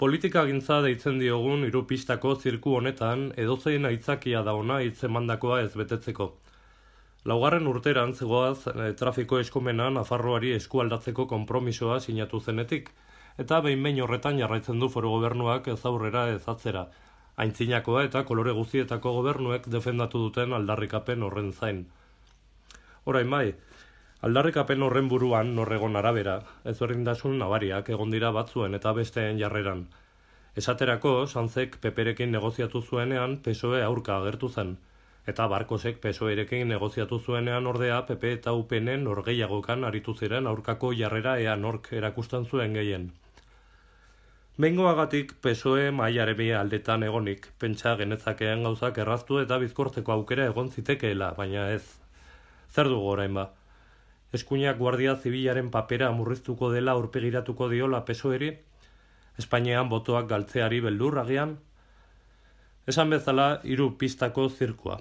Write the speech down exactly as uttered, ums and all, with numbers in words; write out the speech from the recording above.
Politikagintza deitzen diogun hiru pistako zirku honetan edozein aitzakia da ona hitz emandakoa ez betetzeko. Laugarren urteran zegoaz e, trafiko eskumena Nafarroari eskualdatzeko konpromisoa sinatu zenetik, eta behin-behin horretan jarraitzen du foru gobernuak ez aurrera ez atzera, aintzinakoa eta kolore guztietako gobernuek defendatu duten aldarrikapen horren zain. Orain bai, aldarrikapen horren buruan norregon arabera, ezberdintasun nabariak egon dira batzuen eta besteen jarreran. Esaterako, Sanzek Peperekin negoziatu zuenean P S O E aurka agertu zen, eta Barkosek P S O Erekin negoziatu zuenean ordea P P eta U P N norgehiagokan aritu ziren aurkako jarrera ea nork erakusten zuen gehien. Behingoagatik P S O E mailaren aldetan egonik, pentsa genezakeen gauzak erraztu eta bizkortzeko aukera egon zitekeela, baina ez. Zer dugu orain ba? Eskuinak Guardia Zibilaren papera murriztuko dela aurpegiratuko diola P S O Eri? Espainian botoak galtzeari beldur agian? Esan bezala, hiru pistako zirkua.